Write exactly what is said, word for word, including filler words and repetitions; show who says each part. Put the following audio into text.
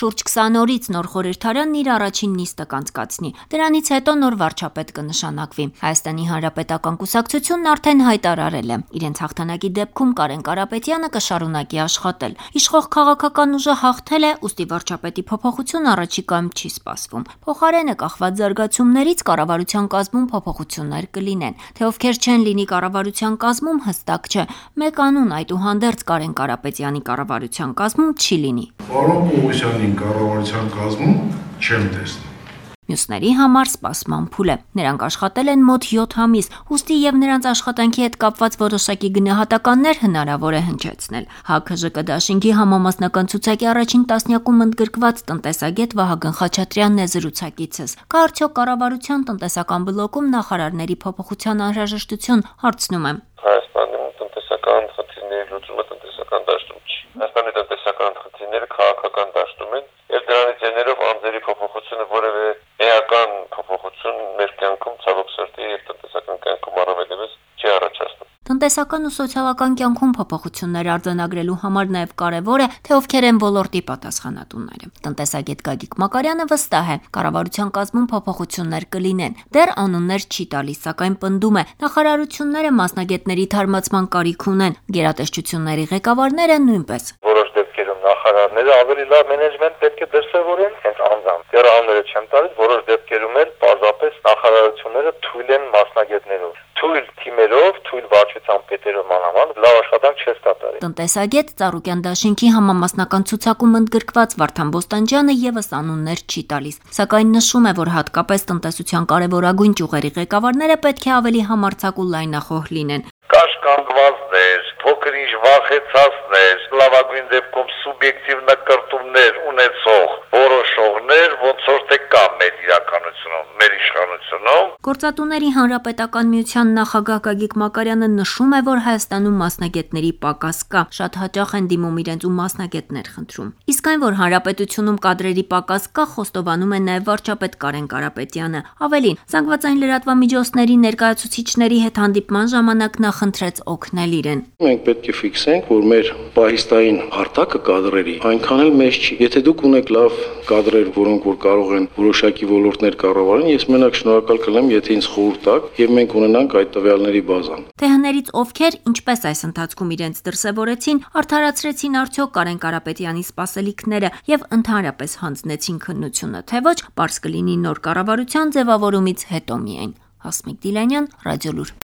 Speaker 1: Շուրջ քսան օրից նոր խորհրդարանն իր առաջին նիստը կանցկացնի։ Դրանից հետո նոր վարչապետ կնշանակվի։ Հայաստանի Հանրապետական կուսակցությունն արդեն հայտարարել է, իրենց հաղթանակի դեպքում Կարեն Կարապետյանը կշարունակի աշխատել։ Իշխող քաղաքական ուժը հաղթել է, ուստի վարչապետի փոփոխություն առաջիկայում չի սպասվում։ Փոխարենը կախված զարգացումներից կառավարության կազմում փոփոխություններ կլինեն։ Թե ովքեր չեն լինի կառավարության կազմում հստակ չէ։ Մեկ անուն այդուհանդերձ Կարեն Կարապետյանի կառավարության կազմում չի լինի։
Speaker 2: Պարոն Պողոսյանին կառավարության կազմում չեմ տեսնում։
Speaker 1: Մյուսների համար սպասման փուլ է։ Նրանք աշխատել են մոտ յոթ ամիս, ուստի եւ նրանց աշխատանքի հետ կապված որոշակի գնահատականներ հնարավոր է հնչեցնել։ ՀԱԿ-ԺԿ դաշինքի համամասնական ցուցակի առաջին տասնյակում ընդգրկված տնտեսագետ Վահագն Խաչատրյանն է զրուցակիցս։ Կա արդյոք կառավարության տնտեսական բլոկում նախարարների փոփոխության անհրաժեշտություն, հարցնում եմ։
Speaker 3: Հայաստանում տնտեսական խնդիրների լուծումը տնտեսական դաշտում չի։ Հայաստանի տնտեսական խնդիրները քաղաքական դաշտում են, եւ դրանից ելնելով անձերի փոփոխությունը որևէ էական փոփոխություն մեր կյանքում ցավոք սրտի եւ տնտեսական կյանքում առավելևս չի առաջացնում։
Speaker 1: Տնտեսական ու սոցիալական կյանքում փոփոխություններ արձանագրելու համար նաև կարևոր է, թե ովքեր են ոլորտի պատասխանատուները։ Տնտեսագետ Գագիկ Մակարյանը վստահ է, կառավարության կազմում փոփոխություններ կլինեն։ Դեռ անուններ չի տալիս, սակայն պնդում է, նախարարությունները մասնագետների թարմացման կարիք ունեն, գերատեսչությունների ղեկավարները նույնպես։
Speaker 3: Որոշ դեպքերում նախարարները ավելի լավ մենեջմենտ պետք է դրսևորեն, հենց անձամբ։ Դեռ անունները չեմ տալիս, որոշ դեպքերում էլ պարզապես նախարարությունները թույլ են մասնագետներով։ Թույլ թիմերով, թույլ վարչության պետերով մանավանդ լավ աշխատանք չես կատարի։
Speaker 1: Տնտեսագետ Ծառուկյան դաշինքի համամասնական ցուցակում ընդգրկված Վարդան Բոստանջյանը եւս անուններ չի տալիս, սակայն նշում է, որ հատկապես տնտեսության կարևորագույն ճյուղերի ղեկավարները պետք է ավելի համարձակ ու լայնախոհ լինեն։
Speaker 3: Կաշկանդվածներ, փոքր-ինչ վախեցածներ, լավագույն դեպքում սուբյեկտիվ նկարտումներ ունեցող որոշողներ ոնց որ թե կա մեր իրականությունում, մեր իշխանությունում։
Speaker 1: Գործատուների հանրապետական միության նախագահ Գագիկ Մակարյանը նշում է, որ Հայաստանում մասնագետների պակաս կա, շատ հաճախ են դիմում իրենց ու մասնագետներ խնդրում։ Իսկ այն, որ հանրապետությունում կադրերի պակաս կա, խոստովանում է նաև վարչապետ Կարեն Կարապետյանը։ Ավելին, զանգվածային լրատվամիջոցների ներկայացուցիչների հետ հանդիպման ժամանակ նա խնդրեց օգնել իրեն։
Speaker 4: Մենք պետք է ֆիքսենք, որ մեր պահիստային արտակը կադրերի այնքան էլ մեծ չի։ Եթե դուք ունեք լավ կադրեր, որոնք որ կարող են որոշակի ոլորտներ կառավարեն, ես մենակ շնորհակալ կլինեմ, եթե ինձ խորհուրդ տաք եւ մենք ունենանք այդ տվյալների բազան։
Speaker 1: Թե հներից ովքեր, ինչպես այս ընթացքում իրենց դրսևորեցին, արդարացրեցին արդյոք Կարեն Կարապետյանի սպասելիքները եւ ընդհանրապես հանձնեցին քննությունը, թե ոչ, պարզ կլինի նոր կառավարության ձևավորումից հետո միայն։ Հասմիկ Դիլանյան, Ռադիոլուր։